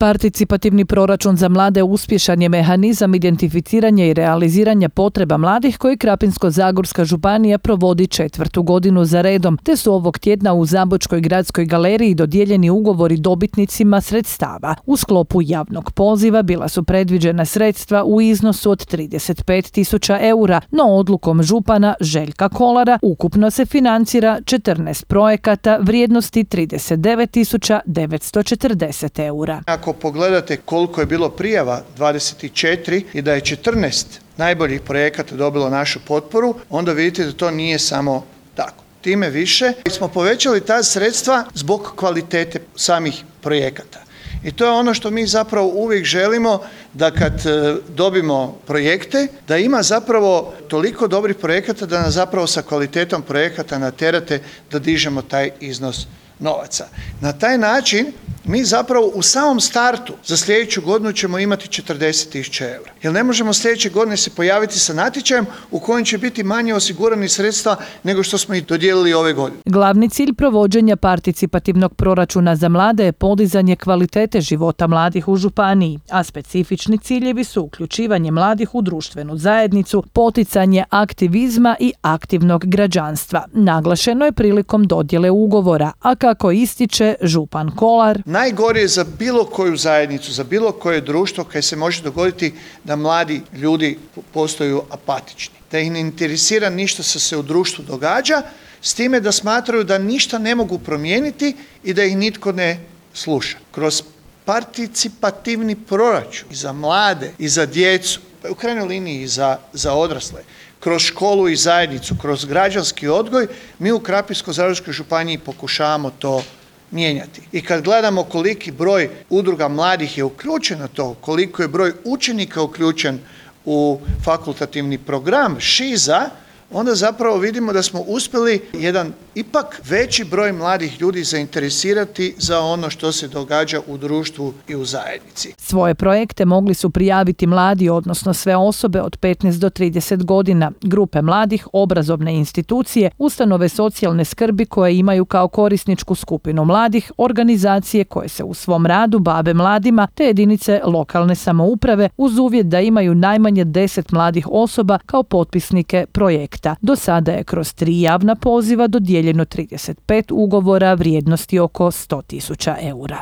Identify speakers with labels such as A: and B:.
A: Participativni proračun za mlade uspješan je mehanizam identificiranja i realiziranja potreba mladih koji Krapinsko-zagorska županija provodi 4. godinu za redom, te su ovog tjedna u Zabočkoj gradskoj galeriji dodijeljeni ugovori dobitnicima sredstava. U sklopu javnog poziva bila su predviđena sredstva u iznosu od 35.000 eura, no odlukom župana Željka Kolara ukupno se financira 14 projekata vrijednosti 39.940 eura.
B: Ako pogledate koliko je bilo prijava, 24, i da je 14 najboljih projekata dobilo našu potporu, onda vidite da to nije samo tako. Time više smo povećali ta sredstva zbog kvalitete samih projekata. I to je ono što mi zapravo uvijek želimo, da kad dobimo projekte, da ima zapravo toliko dobrih projekata da nas zapravo sa kvalitetom projekata naterate da dižemo taj iznos novaca. Na taj način mi zapravo u samom startu za sljedeću godinu ćemo imati 40.000 eura. Jer ne možemo sljedeće godine se pojaviti sa natječajem u kojem će biti manje osigurani sredstva nego što smo ih dodijelili ove godine.
A: Glavni cilj provođenja participativnog proračuna za mlade je podizanje kvalitete života mladih u županiji, a specifični ciljevi su uključivanje mladih u društvenu zajednicu, poticanje aktivizma i aktivnog građanstva. Naglašeno je prilikom dodjele ugovora, a kako ističe župan Kolar,
B: najgore je za bilo koju zajednicu, za bilo koje društvo kad se može dogoditi da mladi ljudi postaju apatični, da ih ne interesira ništa što se u društvu događa, s time da smatraju da ništa ne mogu promijeniti i da ih nitko ne sluša. Kroz participativni proračun i za mlade i za djecu, u krajnjoj liniji i za odrasle, kroz školu i zajednicu, kroz građanski odgoj, mi u Krapinsko-zagorskoj županiji pokušavamo to mijenjati. I kad gledamo koliki broj udruga mladih je uključen na to, koliko je broj učenika uključen u fakultativni program ŠIZA, onda zapravo vidimo da smo uspjeli jedan ipak veći broj mladih ljudi zainteresirati za ono što se događa u društvu i u zajednici.
A: Svoje projekte mogli su prijaviti mladi, odnosno sve osobe od 15 do 30 godina, grupe mladih, obrazovne institucije, ustanove socijalne skrbi koje imaju kao korisničku skupinu mladih, organizacije koje se u svom radu bave mladima, te jedinice lokalne samouprave uz uvjet da imaju najmanje 10 mladih osoba kao potpisnike projekta. Do sada je kroz 3 javna poziva dodijeljeno 35 ugovora vrijednosti oko 100.000 eura.